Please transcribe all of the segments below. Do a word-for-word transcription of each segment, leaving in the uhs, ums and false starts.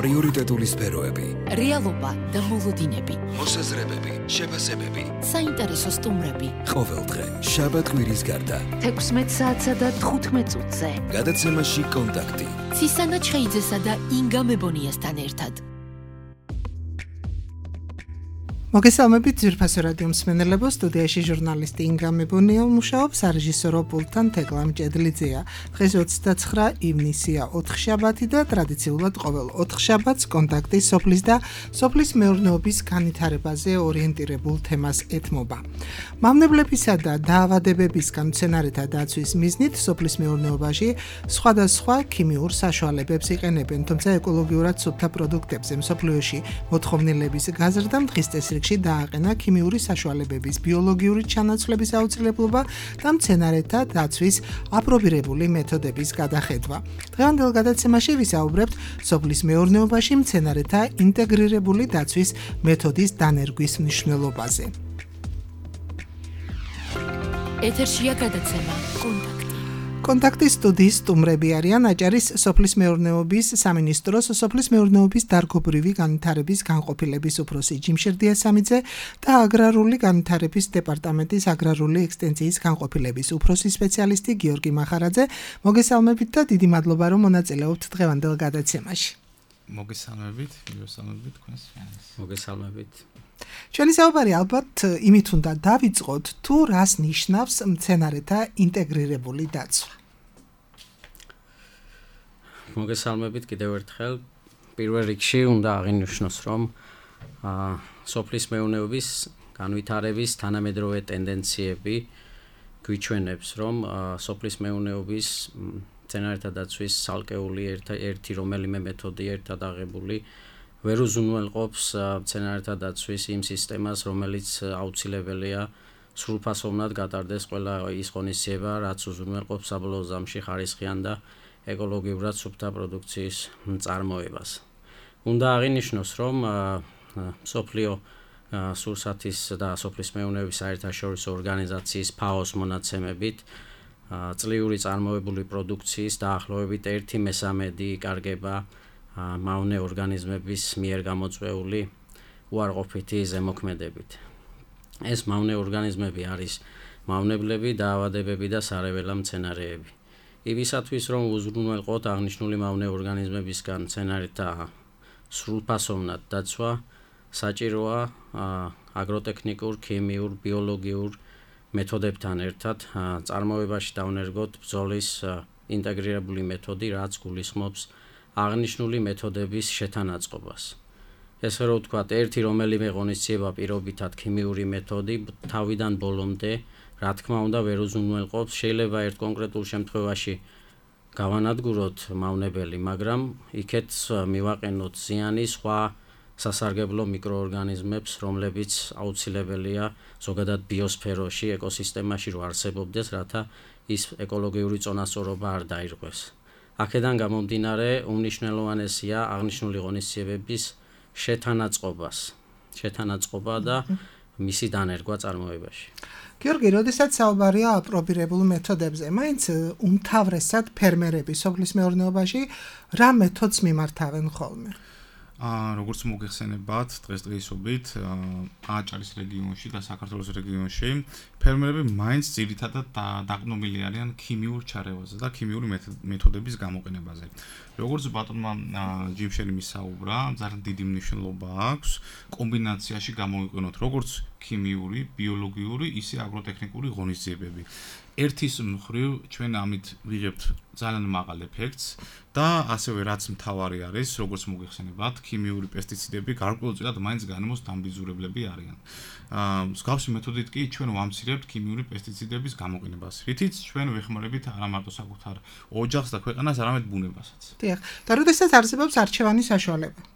პრიორიტეტული სფეროები, რეალობა და მოლოდინები, მოსაზრებები, შეფასებები, საინტერესო სტუმრები. ყოველდღე, შაბათ-კვირის გარდა, თექვსმეტ საათსა და თხუთმეტ წუთზე. გადაცემაში კონტაქტი. ცისანა ჩხეიძესა და ინგა მებონიასთან ერთად. მოგესალმებით ძვირფასო რადიო მსმენელებო, სტუდიაში ჟურნალისტი ინგა მებონია მუშაობს, სარეჟისორო პულტთან თეკლა მჭედლიძეა. დღეს ოცდაცხრა ივნისია, ოთხშაბათი და ტრადიციულად ყოველ ოთხშაბათს კონტაქტი სოფლის და სოფლის მეურნეობის განვითარებაზე ორიენტირებულ თემას ეთმობა. მავნებლებისა და დაავადებებისგან მცენარეთა დაცვის მიზნით სოფლის მეურნეობაში სხვადასხვა ქიმიურ საშუალებებს იყენებენ, თუმცა ეკოლოგიურად სუფთა პროდუქტებზე მსოფლიოში მოთხოვნილების გაზრდამ დღის წესრიგში დააყენა ქიმიური საშუალებების ბიოლოგიური ჩანაცვლების აუცილებლობა და მცენარეთა დაცვის აპრობირებული მეთოდების გადახედვა. დღევანდელ გადაცემაში ვისაუბრებთ სოფლის მეურნეობაში მცენარეთა ინტეგრირებული დაცვის მეთოდის დანერგვის მნიშვნელობაზე. ეთერშია გადაცემა კონტაქტი. კონტაქტის სტუდიის სტუმრები არიან აჭარის სოფლის მეურნეობის სამინისტროს სოფლის მეურნეობის დარგობრივი განვითარების განყოფილების უფროსი ჯიმშერდიასამიძე და აგრარული განვითარების დეპარტამენტის აგრარული ექსტენზიის განყოფილების უფროსი სპეციალისტი გიორგი მახარაძე. მოგესალმებით და დიდი მადლობა რომ მონაწილეობთ დღევანდელ გადაცემაში. მოგესალმებით, მოგესალმებით თქვენს. მოგესალმებით. ჩვენი საუბარი ალბათ იმით უნდა დავიწყოთ, თუ რას ნიშნავს მცენარეთა ინტეგრირებული დაცვა. მოგესალმებით კიდევ ერთხელ. პირველ რიგში უნდა აღინიშნოს, რომ სოფლის მეურნეობის განვითარების თანამედროვე ტენდენციები გვიჩვენებს, რომ სოფლის მეურნეობის მცენარეთა დაცვის ცალკეული ერთი რომელიმე მეთოდი ერთად აღებული ვერ უზრუნველყოფს მცენარეთა დაცვის იმ სისტემას, რომელიც აუცილებელია სრულფასოვნად გატარდეს ყველა ის ღონისძიება, რაც უზრუნველყოფს საბოლოო ზამში ხარისხიან და ეკოლოგიურად სუფთა პროდუქციის წარმოებას. უნდა აღინიშნოს, რომ მსოფლიო სურსათის და სოფლის მეურნეობის საერთაშორისო ორგანიზაციის ფაოს მონაცემებით წლიური წარმოებული პროდუქციის დაახლოებით ერთი მესამედი იკარგება მავნე ორგანიზმების მიერ გამოწვეული უარყოფითი ზემოქმედებით. ეს მავნე ორგანიზმები არის მავნებლები, დაავადებები და სარეველა მცენარეები. იმისათვის, რომ უზრუნველყოთ აღნიშნული მავნე ორგანიზმებისგან მცენარეთა სრულფასოვნად დაცვა, საჭიროა აგროტექნიკურ, ქიმიურ, ბიოლოგიურ მეთოდებთან ერთად წარმოებაში დავნერგოთ ბრძოლის ინტეგრირებული მეთოდი, რაც გულისხმობს აღნიშნული მეთოდების შეთანაწყობას. ესე რომ ვთქვათ, ერთი რომელიმე ღონისძიება პირობითად ქიმიური მეთოდი თავიდან ბოლომდე, რა თქმა უნდა, ვერ უზრუნველყოფს. შეიძლება ერთ კონკრეტულ შემთხვევაში გავანადგუროთ მავნებელი, მაგრამ იქეთ მივაყენოთ ზიანი სხვა სასარგებლო მიკროორგანიზმებს, რომლებიც აუცილებელია ზოგადად ბიოსფეროში, ეკოსისტემაში რო არსებობდეს, რათა ის ეკოლოგიური წონასწორობა არ დაირღვეს. აქედან გამომდინარე უმნიშვნელოვანესია აღნიშნული ღონისძიებების შეთანაწყობას, შეთანაწყობა და მისი დანერგვა წარმოებაში. გიორგი, როდესაც საუბარია აპრობირებულ მეთოდებზე, მაინც უმთავრესად ფერმერები სოფლის მეურნეობაში რა მეთოდს მიმართავენ ხოლმე? აა როგორც მოგეხსენებათ, დღესდღეობით აჭარის რეგიონში და საქართველოს რეგიონში ფერმერები მაინც ძირითადად დაყრდნობილი არიან ქიმიურ ჩარევაზე და ქიმიური მეთოდების გამოყენებაზე. როგორც ბატონმა ჯიმშერი მისაუბრა, ძალიან დიდი მნიშვნელობა აქვს კომბინაციაში გამოვიყენოთ როგორც ქიმიური, ბიოლოგიური, ისე აგროტექნიკური ღონისძიებები. ერთის მხრივ ჩვენ ამით ვიღებთ ძალიან მაღალ ეფექტს და ასევე რაც მთავარი არის, როგორც მოგეხსენებათ, ქიმიური პესტიციდები გარკვეულწილად მაინც განმოს დამბიძურებლები არიან. აა მსგავსი მეთოდით კი ჩვენ ვამცირებთ ქიმიური პესტიციდების გამოყენებას, რითიც ჩვენ ვეხმარებით არა მარტო საკუთარ ოჯახს და ქვეყანას, არამედ ბუნებასაც. დიახ, და როდესაც არსებობს არჩევანი საშუალება.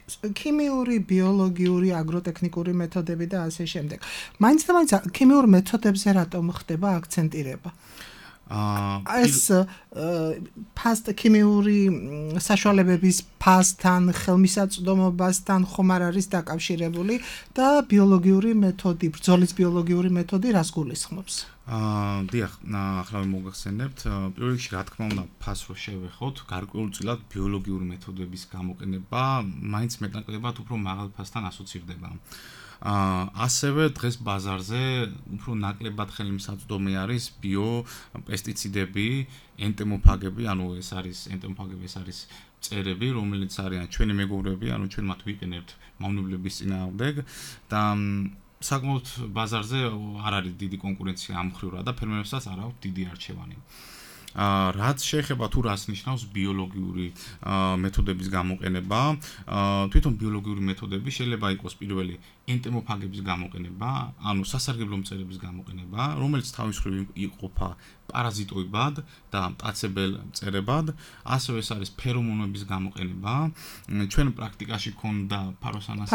ქიმიური, ბიოლოგიური, აგროტექნიკური მეთოდები და ასე შემდეგ. მაინც და მაინც ქიმიურ მეთოდებზე რატომ ხდება აქცენტირება? აა ეს ფასტ ქიმიური საშუალებების ფასთან, ხელმისაწვდომობასთან ხომ არ არის დაკავშირებული და ბიოლოგიური მეთოდი, ბრძოლის ბიოლოგიური მეთოდი რას გულისხმობს? აა დიახ, ახლა მოგახსენებთ, პირველ რიგში რა თქმა უნდა, ფას რო შევეხოთ, გარკვეულწილად ბიოლოგიური მეთოდების გამოყენება მაინც მეტნაკლებად უფრო მაღალ ფასთან ასოცირდება. აა ასევე დღეს ბაზარზე უფრო ნაკლებად ხელმისაწვდომი არის ბიო პესტიციდები, ენტემოფაგები, ანუ ეს არის ენტემოფაგები, ეს არის მწერები, რომელიც არიან ჩვენი მეგობრები, ანუ ჩვენ მათ ვიყენებთ მავნებლების წინააღმდეგ და საკმაოდ ბაზარზე არ არის დიდი კონკურენცია ამ მხრივ და ფერმერებსაც არ აქვს დიდი არჩევანი. აა რაც შეეხება თუ რას ნიშნავს ბიოლოგიური მეთოდების გამოყენება, თვითონ ბიოლოგიური მეთოდები შეიძლება იყოს პირველი ენტემოფაგების გამოყენება, ანუ სასარგებლო მწერების გამოყენება, რომელიც თავის მხრივ იყოფა პარაზიტოებად და მტაცებელ მწერებად, ასევე ეს არის ფერომონების გამოყენება. ჩვენ პრაქტიკაში ქონდა ფაროსანას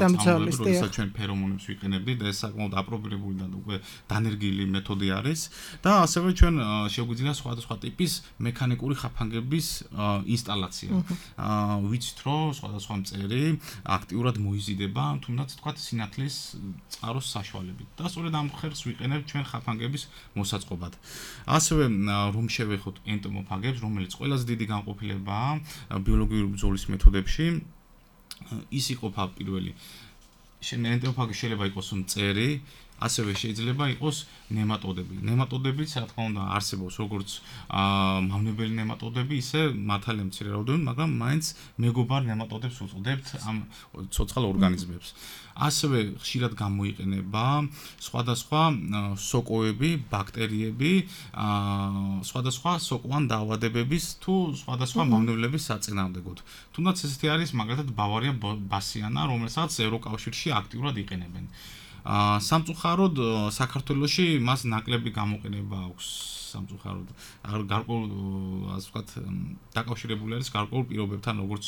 დამცველის, როდესაც ჩვენ ფერომონებს ვიყენებდით და ეს საკმაოდ აპრობირებული და უკვე დანერგილი მეთოდი არის და ასევე ჩვენ შეგვიძლია სხვადასხვა ტიპის მექანიკური ხაფანგების ინსტალაცია. ვიცით რომ სხვადასხვა მწერი აქტიურად მოიზიდება, თუნდაც თქვა სინათლის წყაროს საშუალებით და სწორედ ამ ხერხს ვიყენებთ ჩვენ ხაფანგების მოსაწყობად. ასევე რომ შევეხოთ ენტემოფაგებს, რომელიც ყველაზე დიდი განყოფილებაა ბიოლოგიური ბრძოლის მეთოდებში, ის იყოფა პირველი ენტემოფაგი შეიძლება იყოს მწერი, ასევე შეიძლება იყოს ნემატოდები. ნემატოდებიც რა თქმა უნდა არსებობს როგორც მავნებელი ნემატოდები, ისე მართალია მცირე რაოდენობით, მაგრამ მაინც მეგობარ ნემატოდებს უწოდებთ ამ ცოცხალ ორგანიზმებს. ასევე ხშირად გამოიყენება სხვადასხვა სოკოები, ბაქტერიები, სხვადასხვა სოკოვან დაავადებების თუ სხვადასხვა მავნებლების საწინააღმდეგოდ. თუნდაც ესეთი არის მაგალითად ბავარია ბასიანა, რომელსაც ევროკავშირში აქტიურად იყენებენ. აა სამწუხაროდ საქართველოში მას ნაკლები გამოყენება აქვს სამწუხაროდ გარკვეულ ასე ვთქვათ დაკავშირებული არის გარკვეულ პირობებთან როგორც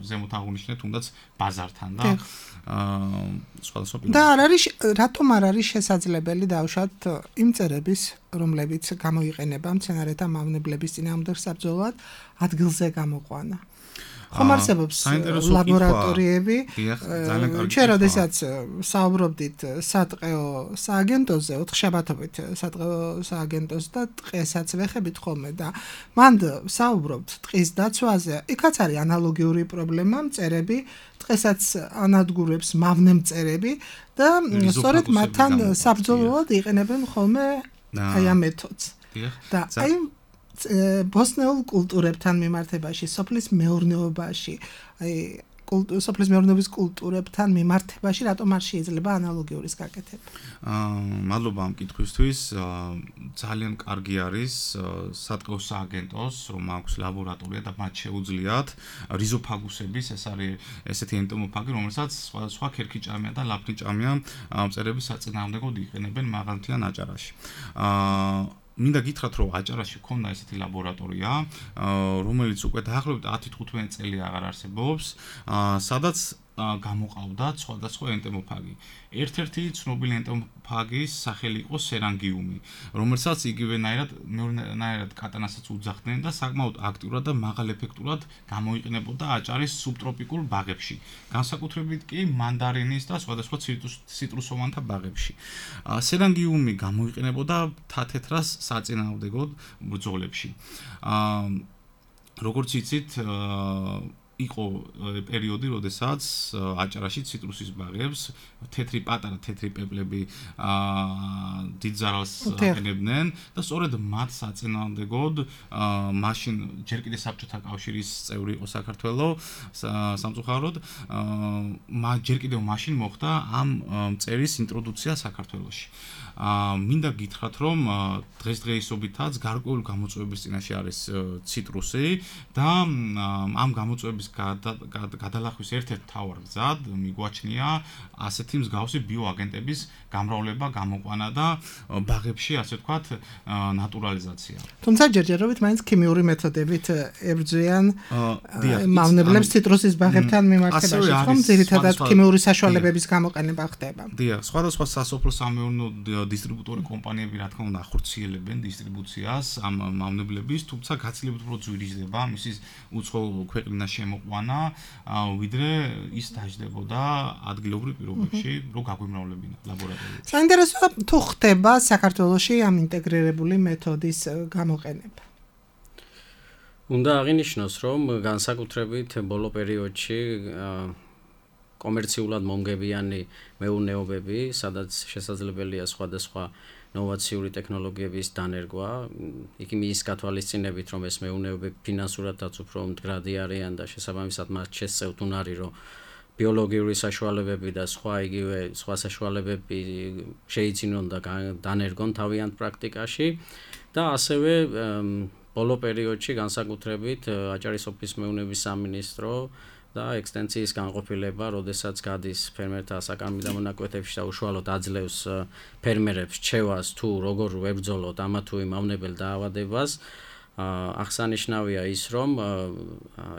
ზემოთ აღნიშნეთ თუნდაც ბაზართან და აა სხვადასხვა პირობებთან და არ არის რატომ არ არის შესაძლებელი დავუშვათ იმ წერების რომლებიც გამოიყენება მცენარეთა მავნებლების წინააღმდეგ საბრძოლოდ ადგილზე გამოყვანა ხომ არსებობს ლაბორატორიები ჩვენ როდესაც საუბრობდით სატყეო სააგენტოზე ოთხშაბათობით სატყეო სააგენტოს და ტყესაც ვეხებით ხოლმე და მანდ საუბრობთ ტყის დაცვაზე იქაც არის ანალოგიური პრობლემა მწერები ტყესაც ანადგურებს მავნე მწერები და სწორედ მათთან საბრძოლოდ იყენებენ ხოლმე აი ამ მეთოდს და აი ბოსნეულ კულტურებთან მიმართებაში, სოფლის მეურნეობაში, აი სოფლის მეურნეობის კულტურებთან მიმართებაში რატომ არ შეიძლება ანალოგიურის გაკეთება? აა მადლობა ამ კითხვისთვის. ძალიან კარგი არის სატყეო სააგენტოს, რომ აქვს ლაბორატორია და მათ შეუძლიათ რიზოფაგუსების, ეს არის ესეთი ენტემოფაგი, რომელსაც სხვადასხვა ქერქიჭამია და ლაფნიჭამია მწერების საწინააღმდეგოდ იყენებენ მაღალმთიან აჭარაში. აა მინდა გითხრათ რომ აჭარაში ქონდა ესეთი ლაბორატორია, რომელიც უკვე დაახლოებით ათი თხუთმეტი წელი აღარ არსებობს, სადაც გამოყავდა სხვადასხვა ენტემოფაგი. ერთ-ერთი ცნობილი ენტემოფაგის სახელი იყო სერანგიუმი, რომელსაც იგივენაირად მეორენაირად კატანასაც უძახდნენ და საკმაოდ აქტიურად და მაღალ ეფექტურად გამოიყენებოდა აჭარის სუბტროპიკულ ბაღებში, განსაკუთრებით კი მანდარინის და სხვადასხვა ციტრუსოვანთა ბაღებში. სერანგიუმი გამოიყენებოდა თათეთრას საწინააღმდეგოდ ბრძოლებში. როგორც იცით, იყო პერიოდი, როდესაც აჭარაში ციტრუსის ბაღებს თეთრი პატარა თეთრი პეპლები აა დიდ ზარალს აყენებდნენ და სწორედ მათ საწინააღმდეგოდ მაშინ ჯერ კიდევ საბჭოთა კავშირის წევრი იყო საქართველოს სამწუხაროდ აა ჯერ კიდევ მაშინ მოხდა ამ მწერის ინტროდუქცია საქართველოში. აა მინდა გითხრათ რომ დღესდღეობით გარკვეული გამოწვევების წინაშე არის ციტრუსი და ამ გამოწვევების გადალახვის ერთ-ერთ მთავარ გზად მიგვაჩნია ასეთი მსგავსი ბიოაგენტების გამრავლება, გამოყვანა და ბაღებში ასე ვთქვათ ნატურალიზაცია. თუმცა ჯერჯერობით მაინც ქიმიური მეთოდებით ებრძვიან მავნებლებს ციტრუსის ბაღებთან მიმართებაში, ხომ ძირითადად ქიმიური საშუალებების გამოყენება ხდება. დიახ, სხვადასხვა სასოფლო სამეურნეო დისტრიბუტორი კომპანიები რა თქმა უნდა ახორციელებენ დისტრიბუციას ამ მავნებლების, თუმცა გაცილებით უფრო ძვირიზდება მისის უცხო ქვეყნიდან შემო მოყვანა, ვიდრე ის დაждდებოდა ადგილობრივ პირობებში, რომ გაგვიმრავლებინა ლაბორატორიაში. საინტერესოა თუ ხდება საქართველოში ამ ინტეგრირებული მეთოდის გამოყენება. უნდა აღინიშნოს, რომ განსაკუთრებით ბოლო პერიოდში კომერციულად მომგებიანი მეურნეობები, სადაც შესაძლებელია სხვადასხვა ნოვაციური ტექნოლოგიების დანერგვა, იქ იმის გათვალისწინებით, რომ ეს მეურნეობები ფინანსურადაც უფრო მდგრადი არიან და შესაბამისად მათ შესწევთ უნარი, რომ ბიოლოგიური საშუალებები და სხვა იგივე სხვა საშუალებები შეიძინონ და დანერგონ თავიანთ პრაქტიკაში და ასევე ბოლო პერიოდში განსაკუთრებით აჭარის ოფის მეურნეობის სამინისტრო და ექსტენციის განყოფილება, როდესაც გადის ფერმერთა საკარმიდამო მონაკვეთებში და უშუალოდ აძლევს ფერმერებს რჩევას თუ როგორ ვებრძოლოთ ამა თუ იმ მავნებელ დაავადებას, აღსანიშნავია ის, რომ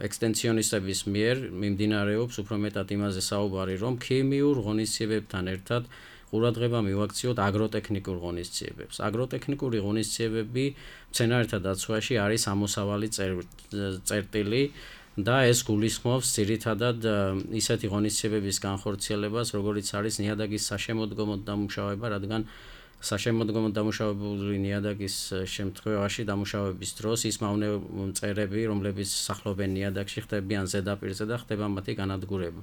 ექსტენციონისტების მიერ მიმდინარეობს უფრო მეტად იმაზე საუბარი, რომ ქიმიურ ღონისძიებებთან ერთად ყურადღება მივაქციოთ აგროტექნიკურ ღონისძიებებს. აგროტექნიკური ღონისძიებები მცენარეთა დაცვაში არის ამოსავალი წერტილი და ეს გულისხმობს ძირითადად ისეთი ღონისძიებების განხორციელებას, როგორიც არის ნიადაგის საშემოდგომო დამუშავება, რადგან საშემოდგომო დამუშავებული ნიადაგის შემთხვევაში დამუშავების დროს ის მავნე-მწერები, რომლებიც სახლობენ ნიადაგში, ხდებიან ზედაპირზე და ხდება მათი განადგურება.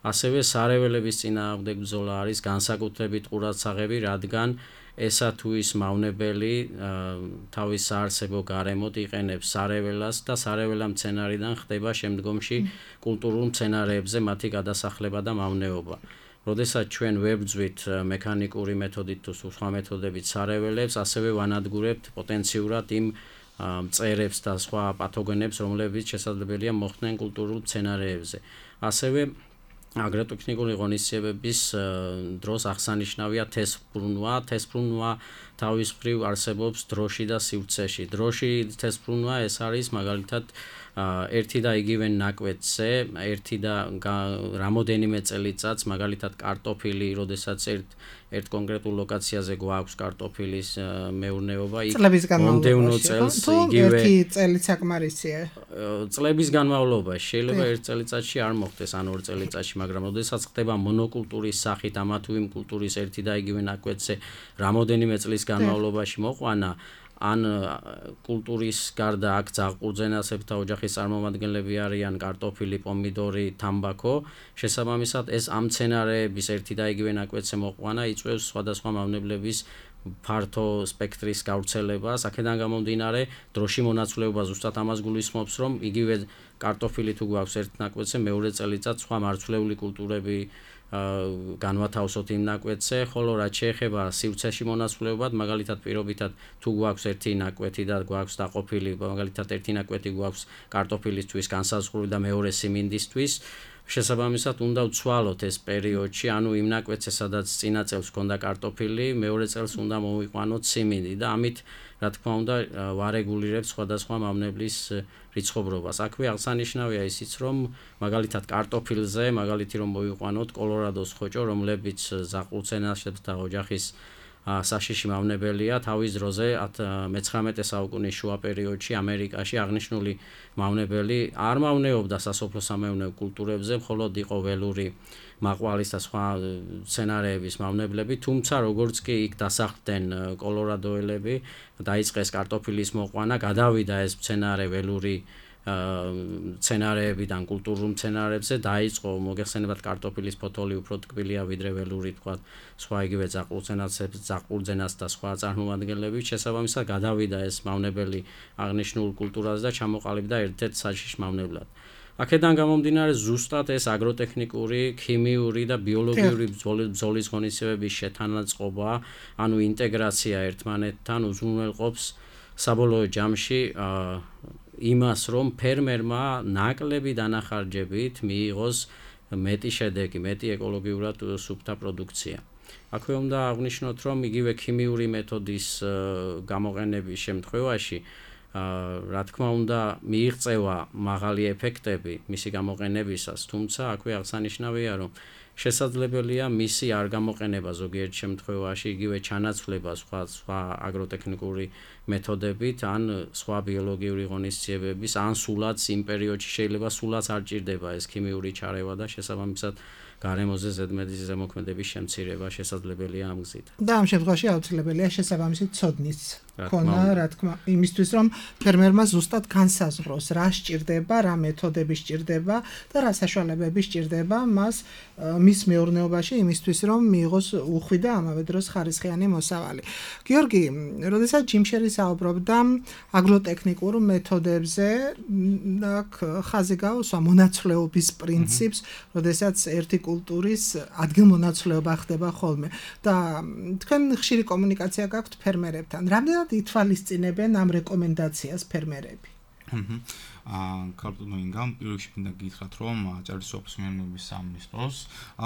ასევე სარეველების წინააღმდეგ ბრძოლა არის განსაკუთრებით ყურადსაღები, რადგან ესა თუ ის მავნებელი თავის საარსებო გარემოდ იყენებს სარეველას და სარეველა მცენარიდან ხდება შემდგომში კულტურულ მცენარეებზე მათი გადასახლება და მავნეობა. როდესაც ჩვენ ვებრძვით მექანიკური მეთოდით თუ სხვა მეთოდებით სარეველებს, ასევე ვანადგურებთ პოტენციურად იმ მწერებს და სხვა პათოგენებს, რომლებიც შესაძლებელია მოხდნენ კულტურულ მცენარეებზე. ასევე აგროტექნიკური ღონისძიებების დროს აღსანიშნავია თესბრუნვა. თესბრუნვა თავის მხრივ არსებობს დროში და სივრცეში. დროში თესბრუნვა ეს არის მაგალითად ერთი და იგივე ნაკვეთზე, ერთი და რამოდენიმე წელიწადს, მაგალითად კარტოფილი, როდესაც ერთ ერთ კონკრეტულ ლოკაციაზე გვაქვს კარტოფილის მეურნეობა, იქ მომდევნო წელს იგივე ერთი წელი საკმარისია. წლების განმავლობაში შეიძლება ერთ წელიწადში არ მოხდეს, ან ორ წელიწადში, მაგრამ როდესაც ხდება მონოკულტურის სახით ამა თუ იმ კულტურის ერთი და იგივე ნაკვეთზე რამოდენიმე წლის განმავლობაში მოყვანა, ან კულტურის გარდა აქ ძაღლყურძენასებრთა ოჯახის წარმომადგენლები არიან კარტოფილი, პომიდორი, თამბაქო, შესაბამისად ეს ამ მცენარეების ერთი და იგივე ნაკვეთზე მოყვანა იწვევს სხვადასხვა მავნებლების ფართო სპექტრის გავრცელებას. აქედან გამომდინარე, დროში მონაცვლეობა ზუსტად ამას გულისხმობს, რომ იგივე კარტოფილი თუ გვაქვს ერთ ნაკვეთზე, მეორე წელიწად სხვა მარცვლეული კულტურები განვათავსოთ იმ ნაკვეთზე, ხოლო რაც შეეხება სივრცეში მონაცვლეობად, მაგალითად პირობითად თუ გვაქვს ერთი ნაკვეთი და გვაქვს დაყოფილი, მაგალითად ერთი ნაკვეთი გვაქვს კარტოფილისთვის განსაზღვრული და მეორე სიმინდისთვის, შესაბამისად უნდა ვცვალოთ ეს პერიოდში, ანუ იმ ნაკვეთზე, სადაც წინა წელს ჰქონდა კარტოფილი, მეორე წელს უნდა მოვიყვანოთ სიმინდი და ამით, რა თქმა უნდა, ვარეგულირებთ სხვადასხვა მავნებლის რიცხობრობას. აქვე აღსანიშნავია ისიც, რომ მაგალითად კარტოფილზე, მაგალითი რომ მოვიყვანოთ კოლორადოს ხოჭო, რომლებიც ზაყლუცენასებრთა ოჯახის საშიში მავნებელია, თავის დროზე მეცხრამეტე საუკუნის შუა პერიოდში ამერიკაში აღნიშნული მავნებელი არ მავნეობდა სასოფლო-სამეურნეო კულტურებზე, მხოლოდ იყო ველური მაყვალის და სხვა მცენარეების მავნებლები, თუმცა როგორც კი იქ დასახლდნენ კოლორადოელები, დაიწყეს კარტოფილის მოყვანა, გადავიდა ეს მცენარე ველური მცენარეებიდან კულტურულ მცენარეებზე, დაიწყო მოგეხსენებათ კარტოფილის ფოთოლი უფრო ტკბილია ვიდრე ველური, თქვა სხვა იგივე ზაყლურძენას და სხვა წარმომადგენლები, შესაბამისად გადავიდა ეს მავნებელი აღნიშნულ კულტურაზე და ჩამოყალიბდა ერთ-ერთ საშიშ მავნებლად. აქედან გამომდინარე, ზუსტად ეს აგროტექნიკური, ქიმიური და ბიოლოგიური ბრძოლის ღონისძიებების შეთანაწყობა, ანუ ინტეგრაცია ერთმანეთთან უზრუნველყოფს საბოლოო ჯამში იმას, რომ ფერმერმა ნაკლები დანახარჯებით მიიღოს მეტი შედეგი, მეტი ეკოლოგიურად სუფთა პროდუქცია. აქვე უნდა აღვნიშნოთ, რომ იგივე ქიმიური მეთოდის გამოყენების შემთხვევაში რა თქმა უნდა, მიიღწევა მაღალი ეფექტები მისი გამოყენებისას, თუმცა აქვე აღსანიშნავია, რომ შესაძლებელია მისი არ გამოყენება ზოგიერთ შემთხვევაში, იგივე ჩანაცვლება სხვა სხვა აგროტექნიკური მეთოდებით, ან სხვა ბიოლოგიური ღონისძიებების, ან სულაც იმ პერიოდში შეიძლება სულაც არ ჭირდება ეს ქიმიური ჩარევა და შესაბამისად გარემოზე ზედმეტი ზემოქმედების შემცირება შესაძლებელია ამ გზით. და ამ შემთხვევაში აუცილებელია შესაბამისი ცოდნის ქონა, რა თქმა, იმისთვის რომ ფერმერმა ზუსტად განსაზღვროს, რა სჭირდება, რა მეთოდები სჭირდება და რა საშუალებები სჭირდება მას მის მეურნეობაში იმისთვის რომ მიიღოს უხვი და ამავე დროს ხარისხიანი მოსავალი. გიორგი, როდესაც ჯიმ შერი საუბრობდა აგროტექნიკურ მეთოდებზე, აქ ხაზი გაუსვა მონაცვლეობის პრინციპს, როდესაც ერთი კულტურის ადგილმონაცვლეობა ხდება ხოლმე და თქვენ ხშირი კომუნიკაცია გაქვთ ფერმერებთან. რამდენად ითვალისწინებენ ამ რეკომენდაციას ფერმერები? აა კარტონო ინგამ პირველში მინდა გითხრათ, რომ აჭარის სოფლის მეურნეობის სამინისტროს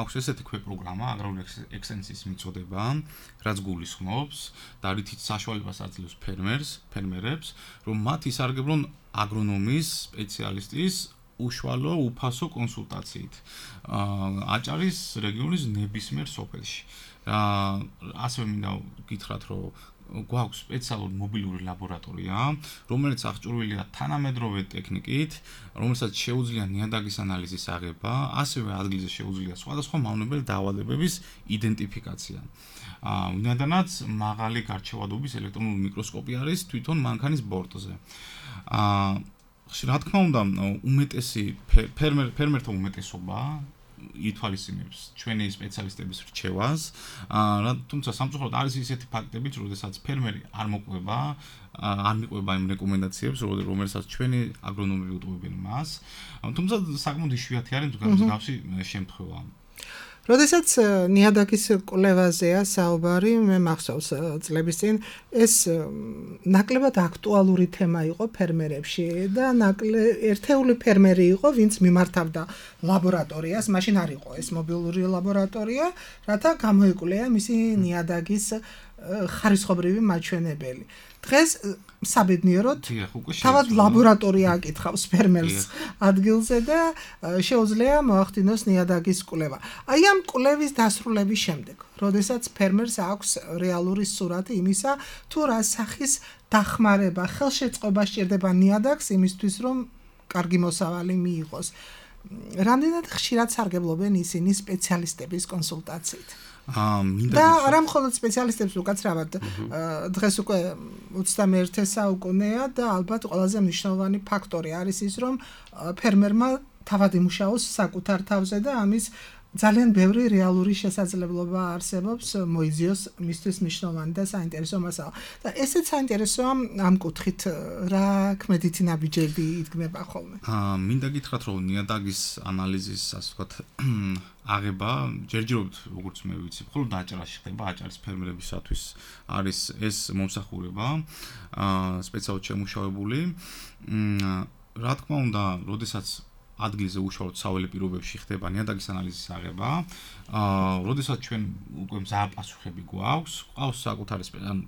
აქვს ესეთი ქვეპროგრამა აგრარული ექსტენსიის მიწოდება, რაც გულისხმობს და რითიც საშუალებას აძლევს ფერმერს, ფერმერებს, რომ მათ ისარგებლონ აგრონომის სპეციალისტის უშუალო უფასო კონსულტაციით აჭარის რეგიონის ნებისმიერ სოფელში. ასევე მინდა გითხრათ, რომ გვაქვს სპეციალური მობილური ლაბორატორია, რომელიც აღჭურვილია თანამედროვე ტექნიკით, რომელსაც შეუძლია ნიადაგის ანალიზის აღება, ასევე ადგილზე შეუძლია სხვადასხვა მავნებელი დაავადებების იდენტიფიკაცია. ვინაიდანაც მაღალი გარჩევადობის ელექტრონული მიკროსკოპი არის თვითონ მანქანის ბორტზე. რა თქმა უნდა, უმეტესი ფერმერ ფერმერთა უმეტესობა ითვალისწინებს ჩვენი სპეციალისტების რჩევას, თუმცა სამწუხაროდ არის ისეთი ფაქტები, როდესაც ფერმერი არ მოყვება, არ მიყვება იმ რეკომენდაციებს, რომელსაც ჩვენი აგრონომები უტყუებენ მას, თუმცა საკმაოდ იშვიათი არის მსგავსი შემთხვევა. როდესაც ნიადაგის კვლევაზეა საუბარი, მე მახსოვს წლების წინ ეს ნაკლებად აქტუალური თემა იყო ფერმერებში და ერთეული ფერმერი იყო, ვინც მიმართავდა ლაბორატორიას, მაშინ არ იყო ეს მობილური ლაბორატორია, რათა გამოიკვლია მისი ნიადაგის ხარისხობრივი მაჩვენებელი. დღეს საბედნიეროდ თავად ლაბორატორია აკითხავს ფერმერს ადგილზე და შეუძლია მოახდინოს ნიადაგის კვლევა. აი ამ კვლევის დასრულების შემდეგ, როდესაც ფერმერს აქვს რეალური სურათი იმისა, თუ რა სახის დახმარება, ხელშეწყობა სჭირდება ნიადაგს იმისთვის, რომ კარგი მოსავალი მიიღოს. რამდენად ხშირად სარგებლობენ ისინი სპეციალისტების კონსულტაციით? და არა მხოლოდ სპეციალისტებს უკაცრავად, დღეს უკვე ოცდამეერთე საუკუნეა და ალბათ ყველაზე მნიშვნელოვანი ფაქტორი არის ის, რომ ფერმერმა თავად იმუშაოს საკუთარ თავზე და ამის ძალიან ბევრი რეალური შესაძლებლობა არსებობს მოიძიოს მისთვის მნიშვნელოვანი და საინტერესო მასალა. და ესეც საინტერესოა ამ კუთხით რა ქმედითი ნაბიჯები იდგმება ხოლმე. აა მინდა გითხრათ, რომ ნიადაგის ანალიზის, ასე ვთქვათ, აღება ჯერჯერობით, როგორც მე ვიცი, მხოლოდ აჭარაში ხდება, აჭარის ფერმერებისათვის არის ეს მომსახურება, აა სპეციალურად შემუშავებული. რა თქმა უნდა, როდესაც ადგილზე უშუალოდ საველე პირობებში ხდება ნიადაგის ანალიზის აღება, აა როდესაც ჩვენ უკვე მზააპასუხები გვაქვს, ყავს საკუთარი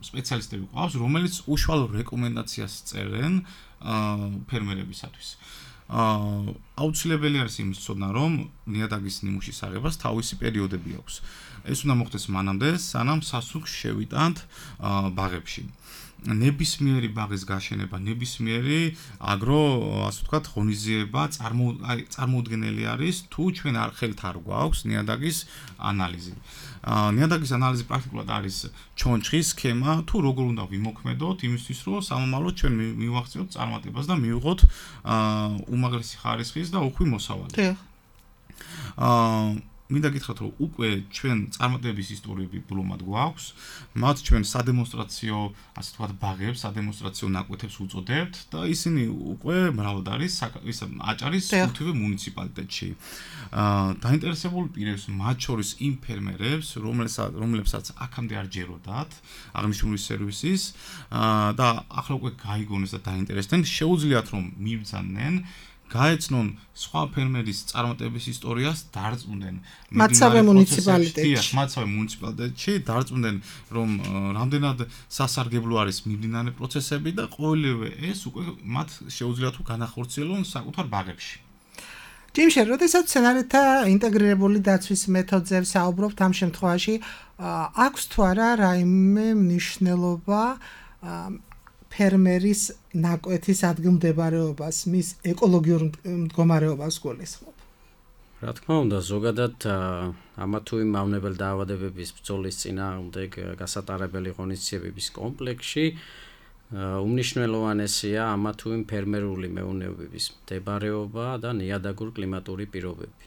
სპეციალისტები ყავს, რომელიც უშუალო რეკომენდაციას წერენ აა ფერმერებისათვის. აა აუცილებელი არის იმის ცოდნა, რომ ნიადაგის ნიმუშის აღებას თავისი პერიოდები აქვს. ეს უნდა მოხდეს მანამდე, სანამ სასუქს შევიტანთ აა ბაღებში. ნებისმიერი ბაღის გაშენება, ნებისმიერი აგრო, ასე ვთქვათ, ღონისძიება წარმოუდგენელი არის, თუ ჩვენ არ ხელთ არ გვაქვს ნიადაგის ანალიზი. ნიადაგის ანალიზი პრაქტიკულად არის ჩონჩხის სქემა, თუ როგორ უნდა ვიმოქმედოთ იმისთვის, რომ სამომავლოდ ჩვენ მივახციოთ წარმატებას და მივიღოთ უმაღლესი ხარისხის და უხვი მოსავალი. აა მინდა გითხრათ, რომ უკვე ჩვენ წარმატების ისტორიები ბლომად გვაქვს, მათ ჩვენ სადემონსტრაციო, ასე ვთქვათ, ბაღებს, სადემონსტრაციო ნაკვეთებს უწოდებთ და ისინი უკვე მრავლად არის ის აჭარის ხუთივე მუნიციპალიტეტში. აა დაინტერესებული პირებს, მათ შორის იმ ფერმერებს, რომელსაც რომლებსაც აქამდე არ ჯეროდათ აღნიშნული სერვისის და ახლა უკვე გაიგონეს და დაინტერესდნენ, შეუძლიათ რომ მიბრძანენ გაეცნონ სხვა ფერმერის წარმატების ისტორიას, დარწმუნდნენ მათსავე მუნიციპალიტეტში. მათსავე მუნიციპალიტეტში დარწმუნდნენ, რომ რამდენად სასარგებლო არის მიმდინარე პროცესები და ყოველივე ეს უკვე მათ შეუძლიათ განახორციელონ საკუთარ ბაღებში. ჯიმშე, როდესაც სცენართა ინტეგრირებული დაცვის მეთოდზე საუბრობთ, ამ შემთხვევაში აქვს თუ არა რაიმე მნიშვნელობა ფერმერის ნაკვეთის ადგილმდებარეობას, მის ეკოლოგიურ მდგომარეობას გულისხმობ. რა თქმა უნდა, ზოგადად ამა თუ იმ მავნებელ დაავადებების ბრძოლის წინააღმდეგ გასატარებელი ღონისძიებების კომპლექსში უმნიშვნელოვანესია ამა თუ იმ ფერმერული მეურნეობების მდებარეობა და ნიადაგურ კლიმატური პირობები.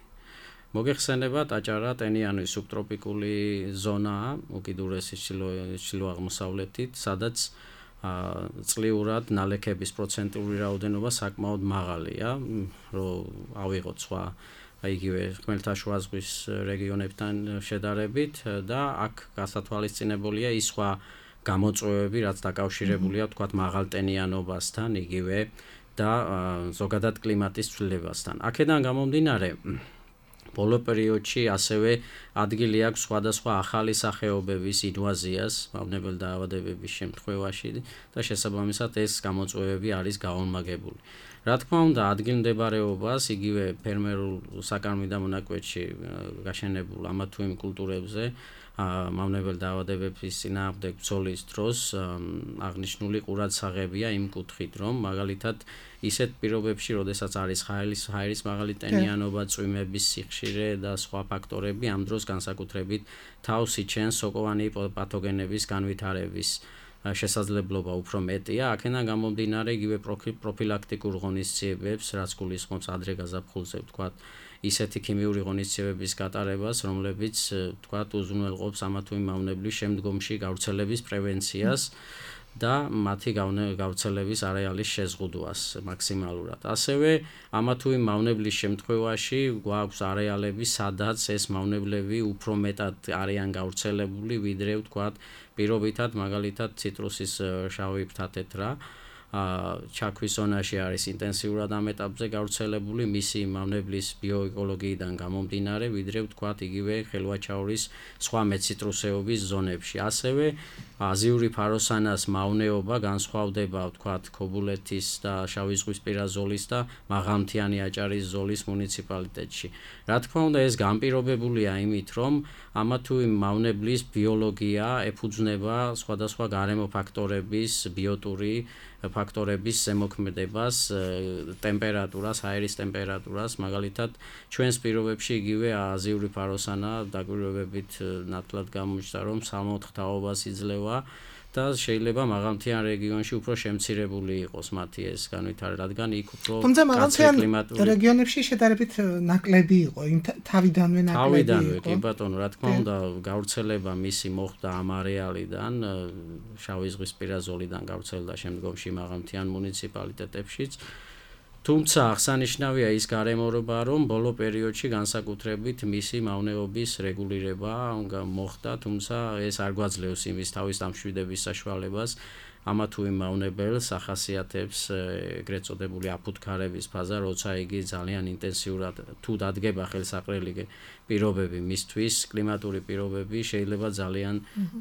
მოგეხსენებათ, აჭარა ტენიანი სუბტროპიკული ზონაა, უკიდურესი ჩრდილო-აღმოსავლეთით, სადაც წლიურად ნალექების პროცენტული რაოდენობა საკმაოდ მაღალია, რომ ავიღოთ სხვა იგივე ხმელთაშუა ზღვის რეგიონებთან შედარებით და აქ გასათვალისწინებულია ის სხვა გამოწვევები, რაც დაკავშირებულია თქვათ მაღალტენიანობასთან, იგივე და ზოგადად კლიმატის ცვლილებასთან. აქედან გამომდინარე, ბოლო პერიოდში ასევე ადგილი აქვს სხვადასხვა ახალი სახეობების ინვაზიას მავნებელ დაავადებების შემთხვევაში და შესაბამისად ეს გამოწვევები არის გაორმაგებული. რა თქმა უნდა, ადგილმდებარეობას იგივე ფერმერულ საკარმიდამო მონაკვეთში გაშენებულ ამა თუ იმ კულტურებზე მავნებელ დაავადებების წინააღმდეგ ბრძოლის დროს აღნიშნული ყურადსაღებია იმ კუთხით, რომ მაგალითად ისეთ პირობებში, როდესაც არის ჰაერის ჰაერის მაღალი ტენიანობა, წვიმების სიხშირე და სხვა ფაქტორები, ამ დროს განსაკუთრებით თავს იჩენს სოკოვანი პათოგენების განვითარების შესაძლებლობა უფრო მეტია. აქედან გამომდინარე იგივე პროფილაქტიკურ ღონისძიებებს, რაც გულისხმობს ადრე გაზაფხულზე, ვთქვათ, ისეთი ქიმიური ღონისძიებების გატარებას, რომლებიც ვთქვათ, უზრუნველყოფს ამა თუ იმ მავნებლის შემდგომში გავრცელების პრევენციას და მათი გავრცელების არეალის შეზღუდვას მაქსიმალურად. ასევე ამა თუ იმ მავნებლის შემთხვევაში გვაქვს არეალები, სადაც ეს მავნებლები უფრო მეტად არიან გავრცელებული, ვიდრე ვთქვათ, პირობითად მაგალითად ციტრუსის შავი ფრთათეთრა ჩაქვის ზონაში არის ინტენსიურად ამ ეტაპზე გავრცელებული მისი მავნებლის ბიოეკოლოგიიდან გამომდინარე, ვიდრე ვთქვათ იგივე ხელვაჩაურის სხვა მეციტრუსეობის ზონებში. ასევე აზიური ფაროსანას მავნეობა განსხვავდება ვთქვათ ქობულეთის და შავი ზღვისპირა ზოლის და მაღალმთიანი აჭარის ზოლის მუნიციპალიტეტში. რა თქმა უნდა, ეს განპირობებულია იმით, რომ ამა თუ იმ მავნებლის ბიოლოგია ეფუძნება სხვადასხვა გარემო ფაქტორების ბიოტური ფაქტორების ზემოქმედებას, ტემპერატურას, აერის ტემპერატურას, მაგალითად, ჩვენს პირობებში იგივე აზიური ფაროსანა დაკვირვებებით ნათლად გამოჩნდა, რომ სამოთხ თაობას იძლევა და შეიძლება მაღალმთიან რეგიონში უფრო შემცირებული იყოს მათი ეს განვითარება, რადგან იქ უფრო თუმცა მაღალმთიან რეგიონებში შედარებით ნაკლები იყო, იმ თავიდანვე ნაკლები იყო. თავიდანვე, კი ბატონო, რა თქმა უნდა, გავრცელება მისი მოხდა ამ არეალიდან, შავი ზღვისპირა ზოლიდან გავრცელდა შემდგომში მაღალმთიან მუნიციპალიტეტებშიც. თუმცა აღსანიშნავია ის გარემოება, რომ ბოლო პერიოდში განსაკუთრებით მისი მავნეობის რეგულირება მოხდა, თუმცა ეს არ გვაძლევს იმის თავის დამშვიდების საშუალებას ამა თუ იმ მავნებელს ახასიათებს ეგრეთ წოდებული აფუთქარების ფაზა, როცა იგი ძალიან ინტენსიურად თუ დადგება ხელსაყრელი პირობები მისთვის, კლიმატური პირობები, შეიძლება ძალიან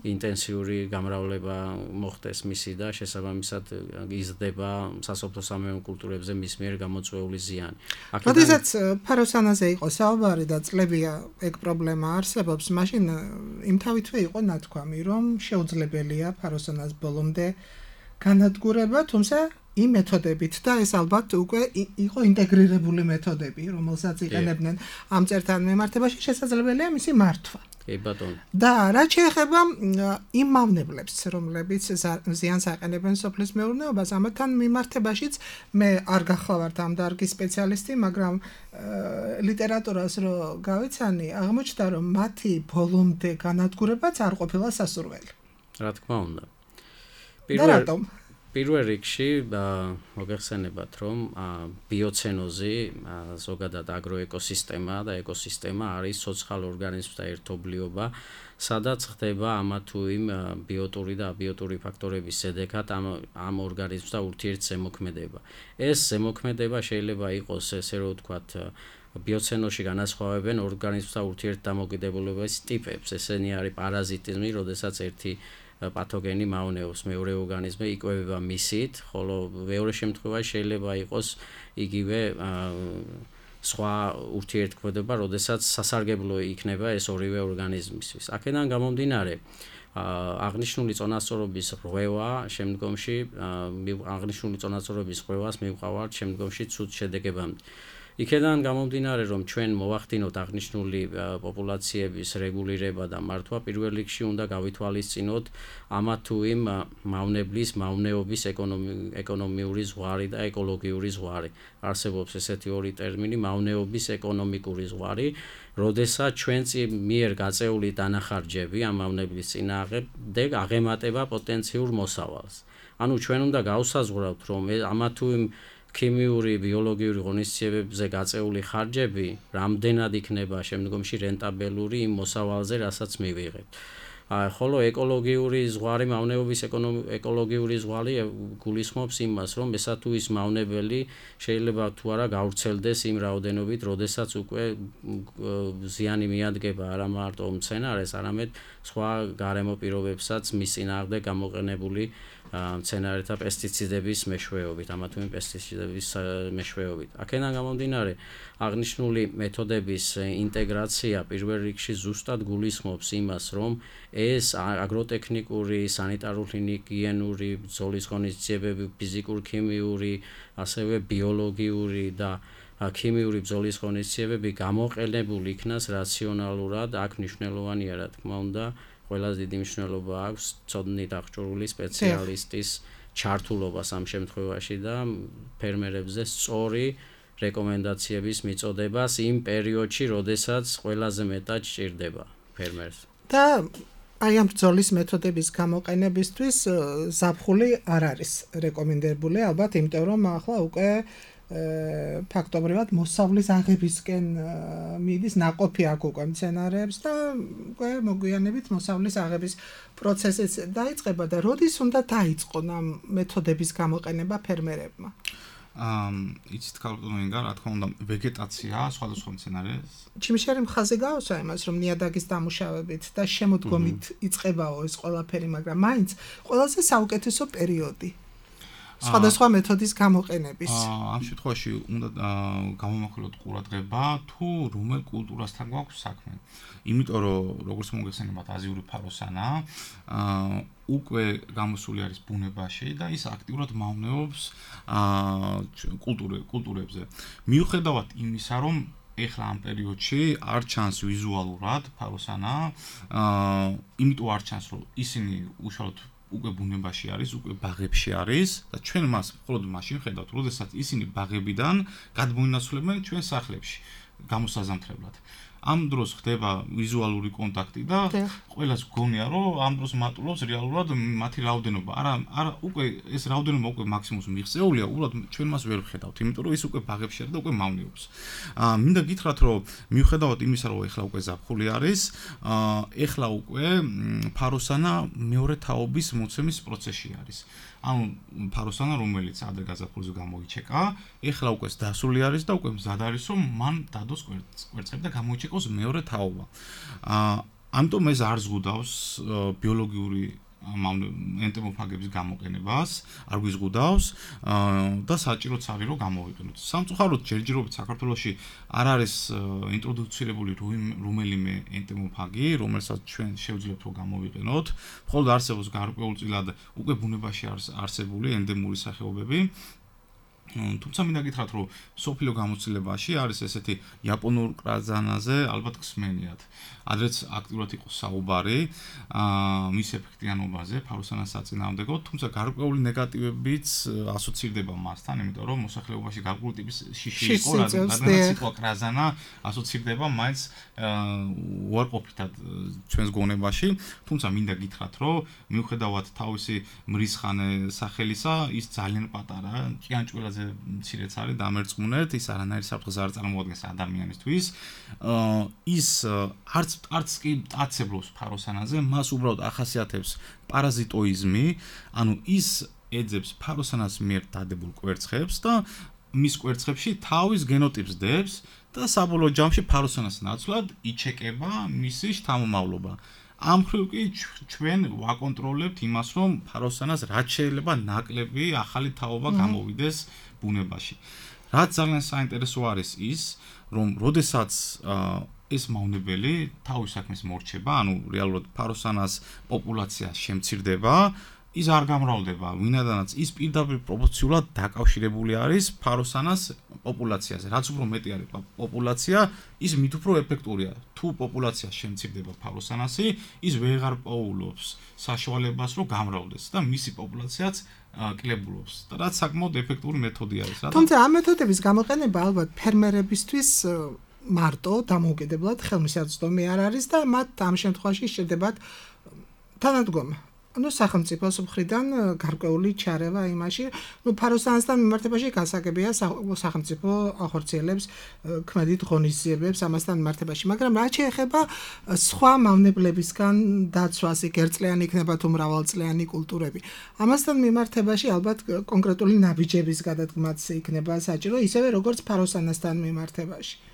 ინტენსიური გამრავლება მოხდეს მისი და შესაბამისად იზრდება სასოფლო-სამეურნეო კულტურებზე მის მიერ გამოწვეული ზიანი. როდესაც ფაროსანაზე იყო საუბარი და წლებია ეგ პრობლემა არსებობს, მაშინ იმთავითვე იყო ნათქვამი, რომ შეუძლებელია ფაროსანას ბოლომდე განადგურება, თუმცა იმ მეთოდებით და ეს ალბათ უკვე იყო ინტეგრირებული მეთოდები, რომელსაც იყენებდნენ ამ წერთან მიმართებაში, შესაძლებელია მისი მართვა. კი ბატონო. და რაც შეეხება იმ მავნებლებს, რომლებიც ზიანს აყენებენ სოფლის მეურნეობას, ამათთან მიმართებაშიც მე არ გახლავართ ამ დარგის სპეციალისტი, მაგრამ ლიტერატურას რო გავიცანი, აღმოჩნდა, რომ მათი ბოლომდე განადგურებაც არ ყოფილა სასურველი. რა თქმა უნდა. და რატომ? პირველ რიგში მოგეხსენებათ, რომ ბიოცენოზი, ზოგადად აგროეკოსისტემა და ეკოსისტემა არის ცოცხალ ორგანიზმთა ერთობლიობა, სადაც ხდება ამა თუ იმ ბიოტური და აბიოტური ფაქტორების შედეგად ამ ამ ორგანიზმთა ურთიერთზემოქმედება. ეს ზემოქმედება შეიძლება იყოს, ესე რომ ვთქვათ, ბიოცენოში განასხვავებენ ორგანიზმთა ურთიერთდამოკიდებულების ტიპებს. ესენი არის პარაზიტიზმი, როდესაც ერთი პათოგენი მავნეობს მეორე ორგანიზმი, იკვებება მისით, ხოლო მეორე შემთხვევაში შეიძლება იყოს იგივე სხვა ურთიერთქმედება, როდესაც სასარგებლო იქნება ეს ორივე ორგანიზმისთვის. აქედან გამომდინარე, აღნიშნული წონასწორობის რღვევა შემდგომში აღნიშნული წონასწორობის რღვევას მივყავართ შემდგომში ცუდ შედეგებამდე. იქედან გამომდინარე, რომ ჩვენ მოვახდინოთ აღნიშნული პოპულაციების რეგულირება და მართვა, პირველ რიგში უნდა გავითვალისწინოთ ამა თუ იმ მავნებლის, მავნეობის ეკონომიური ზღვარი და ეკოლოგიური ზღვარი. არსებობს ესეთი ორი ტერმინი, მავნეობის ეკონომიკური ზღვარი, როდესაც ჩვენ მიერ გაწეული დანახარჯები ამ მავნებლის წინააღმდეგ აღემატება პოტენციურ მოსავალს. ანუ ჩვენ უნდა გავსაზღვრავთ, რომ ამა თუ იმ ქიმიური, ბიოლოგიური ღონისძიებებზე გაწეული ხარჯები რამდენად იქნება შემდგომში რენტაბელური იმ მოსავალზე, რასაც მივიღებთ. ხოლო ეკოლოგიური ზღვარი, მავნეობის ეკოლოგიური ზღვარი გულისხმობს იმას, რომ ესა თუ ის მავნებელი შეიძლება თუ არა გავრცელდეს იმ რაოდენობით, როდესაც უკვე ზიანი მიადგება არა მარტო მცენარეს, არამედ სხვა გარემო პირობებსაც მის წინააღმდეგ გამოყენებული მცენარეთა პესტიციდების მეშვეობით, ამა თუ იმ პესტიციდების მეშვეობით. აქედან გამომდინარე, აღნიშნული მეთოდების ინტეგრაცია პირველ რიგში ზუსტად გულისხმობს იმას, რომ ეს აგროტექნიკური, სანიტარულ-ჰიგიენური, ბრძოლის ღონისძიებები, ფიზიკურ-ქიმიური, ასევე ბიოლოგიური და ქიმიური ბრძოლის ღონისძიებები გამოყენებულ იქნას რაციონალურად, აქ მნიშვნელოვანია, რა თქმა უნდა, ყველაზე დიდი მნიშვნელობა აქვს ცოდნით აღჭურვილი სპეციალისტის ჩართულობას ამ შემთხვევაში და ფერმერებზე სწორი რეკომენდაციების მიწოდებას იმ პერიოდში, როდესაც ყველაზე მეტად სჭირდება ფერმერს. და აი ამ ბრძოლის მეთოდების გამოყენებისთვის ზაფხული არ არის რეკომენდებული, ალბათ, იმიტომ რომ ახლა უკვე ფაქტობრივად მოსავლის აღებისკენ მიდის ნაყოფი აქ უკვე მცენარეებს და უკვე მოგვიანებით მოსავლის აღების პროცესიც დაიწყება და როდის უნდა დაიწყონ ამ მეთოდების გამოყენება ფერმერებმა? იცით ქალბატონინგა, რა თქმა უნდა, ვეგეტაცია სხვადასხვა მცენარეს. ჩიმშერი მხაზე გავსვა იმას, რომ ნიადაგის დამუშავებით და შემოდგომით იწყებაო ეს ყველაფერი, მაგრამ მაინც ყველაზე საუკეთესო პერიოდი სხვადასხვა მეთოდის გამოყენების. ამ შემთხვევაში უნდა გამომახვილოთ ყურადღება, თუ რომელ კულტურასთან გვაქვს საქმე. იმიტომ რომ როგორც მოგეხსენებათ, აზიური ფაროსანა უკვე გამოსული არის ბუნებაში და ის აქტიურად მავნეობს კულტურებზე. მიუხედავად იმისა, რომ ეხლა ამ პერიოდში არ ჩანს ვიზუალურად ფაროსანა, იმიტომ არ ჩანს, რომ ისინი უშუალოდ უკვე ბუნებაში არის, უკვე ბაღებში არის და ჩვენ მას მხოლოდ მაშინ ხედავთ, როდესაც ისინი ბაღებიდან გადმოინაცვლებენ ჩვენ სახლებში გამოსაზამთრებლად. ამ დროს ხდება ვიზუალური კონტაქტი და ყველას გონია, რომ ამ დროს მატულობს რეალურად მათი რაოდენობა. არა, არა, უკვე ეს რაოდენობა უკვე მაქსიმუმს მიღწეულია, უბრალოდ ჩვენ მას ვერ ვხედავთ, იმიტომ რომ ის უკვე ბაღებში არის და უკვე მავნეობს. აა მინდა გითხრათ, რომ მიუხედავად იმისა, რომ ეხლა უკვე ზაფხული არის, აა ეხლა უკვე ფაროსანა მეორე თაობის მოცემის პროცესში არის. ანუ ფაროსანა, რომელიც ადრე გაზაფხულზე გამოიჩეკა, ეხლა უკვე დასული არის და უკვე მზად არის, რომ მან დადოს კვერცხები და გამოიჩეკოს მეორე თაობა. აა ამიტომ ეს არ ზღუდავს ბიოლოგიური ენტომოფაგების გამოყენებას, არ გვიზღუდავს და საჭიროც არის რომ გამოვიყენოთ. სამწუხაროდ ჯერჯერობით საქართველოში არ არის ინტროდუცირებული რომელიმე ენტომოფაგი, რომელსაც ჩვენ შევძლებთ რომ გამოვიყენოთ. მხოლოდ არსებობს გარკვეულწილად უკვე ბუნებაში არსებული ენდემური სახეობები. თუმცა მინდა გითხრათ, რომ სოფლიო გამოცდილებაში არის ესეთი იაპონურ კრაზანაზე ალბათ ხსმენიათ. ადრეც აქტიურად იყო საუბარი მის ეფექტიანობაზე, ფაროსანას საწინააღმდეგოდ, თუმცა გარკვეული ნეგატივებიც ასოცირდება მასთან, იმიტომ რომ მოსახლეობაში გარკვეული ტიპის შიში იყო, რადგან სიტყვა კრაზანა ასოცირდება მაინც უარყოფითად ჩვენს გონებაში, თუმცა მინდა გითხრათ, რომ მიუხედავად თავისი მრისხანე სახელისა, ის ძალიან პატარა, ჭიანჭველაზე მცირეც არის დამერწმუნეთ, ის არანაირ საფრთხეს არ წარმოადგენს ადამიანისთვის. ის არც არც კი მტაცებლობს ფაროსანაზე, მას უბრალოდ ახასიათებს პარაზიტოიზმი, ანუ ის ეძებს ფაროსანას მიერ დადებულ კვერცხებს და მის კვერცხებში თავის გენოტიპს დებს და საბოლოო ჯამში ფაროსანას ნაცვლად იჩეკება მისი შთამომავლობა. ამ მხრივ კი ჩვენ ვაკონტროლებთ იმას, რომ ფაროსანას რაც შეიძლება ნაკლები ახალი თაობა გამოვიდეს ბუნებაში. რაც ძალიან საინტერესო არის ის, რომ როდესაც ეს მავნებელი თავის საქმეს მორჩება, ანუ რეალურად ფაროსანას პოპულაცია შემცირდება, ის არ გამრავლდება, ვინადანაც ის პირდაპირ პროპორციულად დაკავშირებული არის ფაროსანას პოპულაციაზე. რაც უფრო მეტი არის პოპულაცია, ის მით უფრო ეფექტურია. თუ პოპულაცია შემცირდება ფაროსანასი, ის ვეღარ პოულობს საშუალებას, რომ გამრავლდეს და მისი პოპულაციაც კლებულობს. და რაც საკმაოდ ეფექტური მეთოდი არის. თუმცა ამ მეთოდების გამოყენება ალბათ ფერმერებისთვის მარტო დამოუკიდებლად ხელმისაწვდომი არ არის და მათ ამ შემთხვევაში შედებათ თანადგომა. ანუ სახელმწიფოს მხრიდან გარკვეული ჩარევა იმაში, ну ფაროსანასთან მიმართებაში გასაგებია სახელმწიფო ახორციელებს ქმედით ღონისძიებებს ამასთან მიმართებაში, მაგრამ რაც შეეხება სხვა მავნებლებისგან დაცვას, იქ ერთწლიანი იქნება თუ მრავალწლიანი კულტურები. ამასთან მიმართებაში ალბათ კონკრეტული ნაბიჯების გადადგმაც იქნება საჭირო, ისევე როგორც ფაროსანასთან მიმართებაში.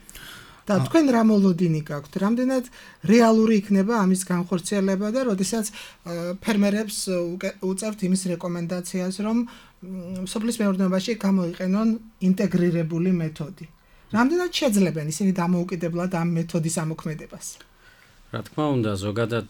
და თქვენ რა მოლოდინი გაქვთ? რამდენად რეალური იქნება ამის განხორციელება და როდესაც ფერმერებს უწევთ იმის რეკომენდაციას, რომ სოფლის მეურნეობაში გამოიყენონ ინტეგრირებული მეთოდი. რამდენად შეძლებენ ისინი დამოუკიდებლად ამ მეთოდის ამოქმედებას? რა თქმა უნდა, ზოგადად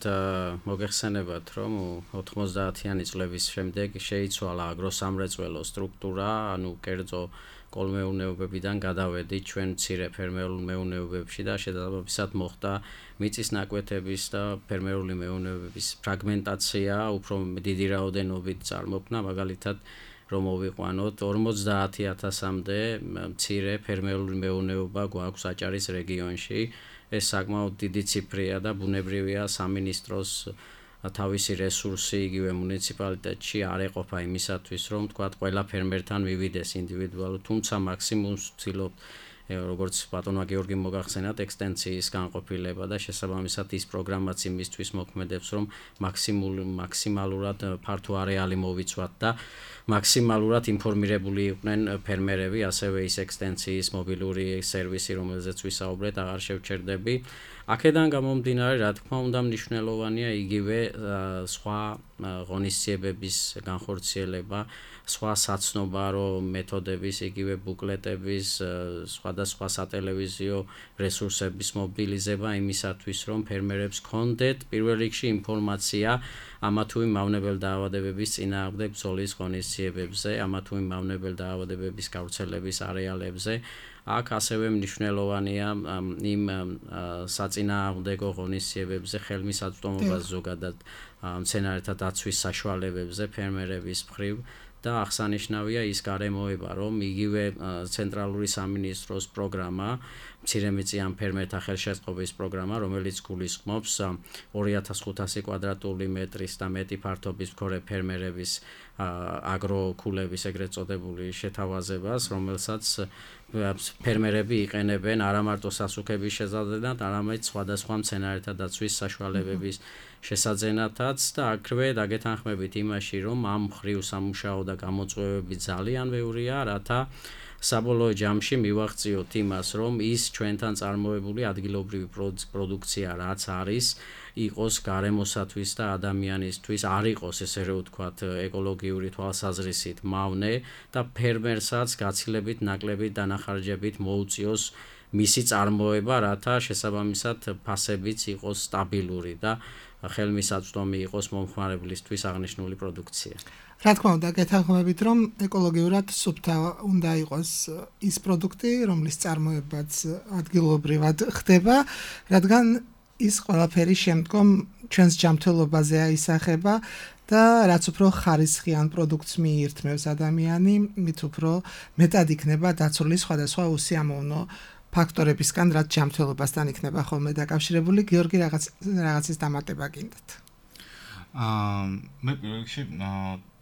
მოგეხსენებათ, რომ ოთხმოცდაათიანი წლების შემდეგ შეიცვალა აგროსამრეწველო სტრუქტურა, ანუ კერძო კოლმეურნეობებიდან გადავედით ჩვენ მცირე ფერმერულ მეურნეობებში და შესაბამისად მოხდა მიწის ნაკვეთების და ფერმერული მეურნეობების ფრაგმენტაცია, უფრო დიდი რაოდენობით წარმოქმნა, მაგალითად რომ მოვიყვანოთ ორმოცდაათი ათასამდე მცირე ფერმერული მეურნეობა გვაქვს აჭარის რეგიონში. ეს საკმაოდ დიდი ციფრია და ბუნებრივია სამინისტროს თავისი რესურსი იგივე მუნიციპალიტეტში არ ეყოფა იმისათვის, რომ თქვათ ყველა ფერმერთან მივიდეს ინდივიდუალურად, თუმცა მაქსიმუმს ვცდილობთ, როგორც ბატონმა გიორგი მოგახსენათ, ექსტენციის განყოფილება და შესაბამისად ის პროგრამაც იმისთვის მოქმედებს, რომ მაქსიმალ მაქსიმალურად ფართო არეალი მოვიცვათ და მაქსიმალურად ინფორმირებული იყვნენ ფერმერები, ასევე ის ექსტენციის მობილური სერვისი, რომელზეც ვისაუბრეთ, აღარ შევჩერდები. აქედან გამომდინარე, რა თქმა უნდა, მნიშვნელოვანია იგივე სხვა ღონისძიებების განხორციელება, სხვა საცნობარო მეთოდების, იგივე ბუკლეტების, სხვადასხვა სატელევიზიო რესურსების მობილიზება იმისათვის, რომ ფერმერებს ჰქონდეთ პირველ რიგში ინფორმაცია ამა თუ იმ მავნებელ დაავადებების წინააღმდეგ ბრძოლის ღონისძიებებზე, ამა თუ იმ მავნებელ დაავადებების გავრცელების არეალებზე. აქ ასევე მნიშვნელოვანია იმ საწინააღმდეგო ღონისძიებებზე ხელმისაწვდომობა ზოგადად მცენარეთა დაცვის საშუალებებზე ფერმერების მხრივ და აღსანიშნავია ის გარემოება, რომ იგივე ცენტრალური სამინისტროს პროგრამა, მცირემიწიან ფერმერთა ხელშეწყობის პროგრამა, რომელიც გულისხმობს ორი ათას ხუთასი კვადრატული მეტრის და მეტი ფართობის მქონე ფერმერების აგროკულების ეგრეთ წოდებული შეთავაზებას, რომელსაც ფერმერები იყენებენ არა მარტო სასუქების შესაძლებლად, არამედ სხვადასხვა მცენარეთა დაცვის საშუალებების შესაძენათაც და აქვე დაგეთანხმებით იმაში, რომ ამ მხრივ სამუშაო და გამოწვევები ძალიან ბევრია, რათა საბოლოო ჯამში მივაღწიოთ იმას, რომ ის ჩვენთან წარმოებული ადგილობრივი პროდუქცია რაც არის, იყოს გარემოსათვის და ადამიანისთვის, არ იყოს ესე რომ ვთქვათ ეკოლოგიური თვალსაზრისით მავნე და ფერმერსაც გაცილებით ნაკლებით დანახარჯებით მოუწიოს მისი წარმოება, რათა შესაბამისად ფასებიც იყოს სტაბილური და ხელმისაწვდომი იყოს მომხმარებლისთვის აღნიშნული პროდუქცია. რა თქმა უნდა, გეთანხმებით, რომ ეკოლოგიურად სუფთა უნდა იყოს ის პროდუქტი, რომლის წარმოებაც ადგილობრივად ხდება, რადგან ის ყველაფერი შემდგომ ჩვენს ჯანმრთელობაზე აისახება და რაც უფრო ხარისხიან პროდუქტს მიირთმევს ადამიანი, მით უფრო მეტად იქნება დაცული სხვადასხვა უსიამოვნო ფაქტორებისგან, რაც ჯანმრთელობასთან იქნება ხოლმე დაკავშირებული. გიორგი, რაღაც რაღაცის დამატება გინდათ? აა მე პირველ რიგში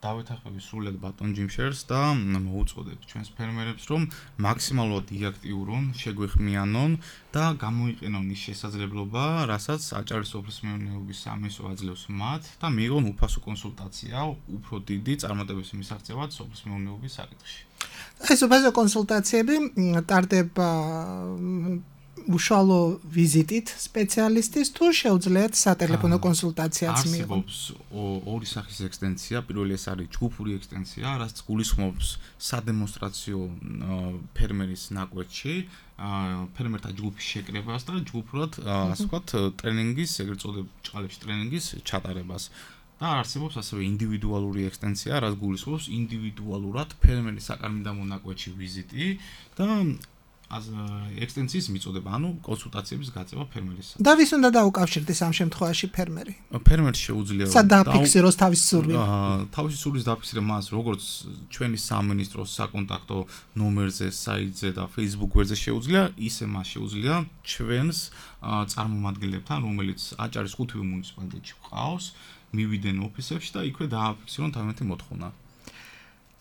დავეთანხმები სრულად ბატონ ჯიმშერს და მოუწოდებ ჩვენს ფერმერებს, რომ მაქსიმალურად იაქტიურონ, შეგვეხმიანონ და გამოიყენონ ის შესაძლებლობა, რასაც აჭარის სოფლის მეურნეობის სამინისტრო აძლევს მათ და მიიღონ უფასო კონსულტაცია უფრო დიდი წარმატების მისაღწევად სოფლის მეურნეობის საკითხში. ეს უფასო კონსულტაციები ტარდება უშუალო ვიზიტით სპეციალისტის თუ შეუძლიათ სატელეფონო კონსულტაციაც მიიღონ. არსებობს ორი სახის ექსტენსია, პირველი ეს არის ჯგუფური ექსტენსია, რაც გულისხმობს სადემონსტრაციო ფერმერის ნაკვეთში, ფერმერთა ჯგუფის შეკრებას და ჯგუფურად, ასე ვთქვათ, ტრენინგის, ეგრეთ წოდებულ ჭყალებში ტრენინგის ჩატარებას. და არსებობს ასევე ინდივიდუალური ექსტენსია, რაც გულისხმობს ინდივიდუალურად ფერმერის საკარმიდამო ნაკვეთში ვიზიტი და az ექსტენსიის მიწოდება, ანუ კონსულტაციების გაწევა ფერმერისთან. და ვის უნდა დაუკავშირდეს ამ შემთხვევაში ფერმერი? ფერმერს შეუძლია სად დააფიქსიროს თავის სურვილს? თავის სურვილს დააფიქსირება მას, როგორც ჩვენი სამინისტროს საკონტაქტო ნომერზე, საიტზე და Facebook გვერდზე შეუძლია, ისე მას შეუძლია ჩვენს წარმომადგენლებთან, რომელიც აჭარის ხუთივე მუნიციპალიტეტში ყავს, მივიდნენ ოფისებში და იქვე დააფიქსირონ თავიანთი მოთხოვნა.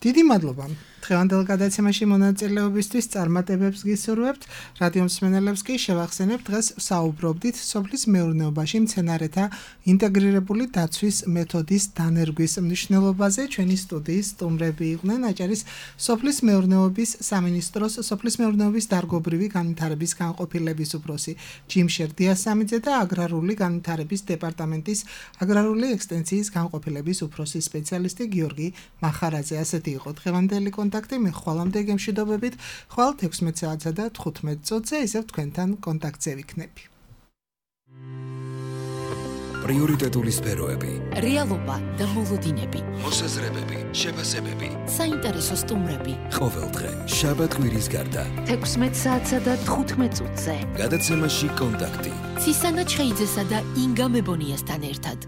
დიდი მადლობა. დღევანდელ გადაცემაში მონაწილეობისთვის წარმატებებს გისურვებთ. რადიო მსმენელებს კი შევახსენებთ, დღეს საუბრობდით სოფლის მეურნეობაში მცენარეთა ინტეგრირებული დაცვის მეთოდის დანერგვის მნიშვნელობაზე. ჩვენი სტუდიის სტუმრები იყვნენ აჭარის სოფლის მეურნეობის სამინისტროს სოფლის მეურნეობის დარგობრივი განვითარების განყოფილების უფროსი ჯიმშერ დიასამიძე და აგრარული განვითარების დეპარტამენტის აგრარული ექსტენსიის განყოფილების უფროსი სპეციალისტი გიორგი მახარაძე. ასეთი იყო დღევანდელი კონტაქტი. მე ხვალამდე გემშვიდობებით. ხვალ თექვსმეტ საათსა და თხუთმეტ წუთზე ისევ თქვენთან კონტაქტზე ვიქნები. პრიორიტეტული სფეროები, რეალობა და მოლოდინები, მოსაზრებები, შეფასებები, საინტერესო სტუმრები. ყოველდღე შაბათ კვირის გარდა თექვსმეტ საათსა და თხუთმეტ წუთზე. გადაცემაში კონტაქტი. ცისანა ჩხეიძესა და ინგა მებონიასთან ერთად.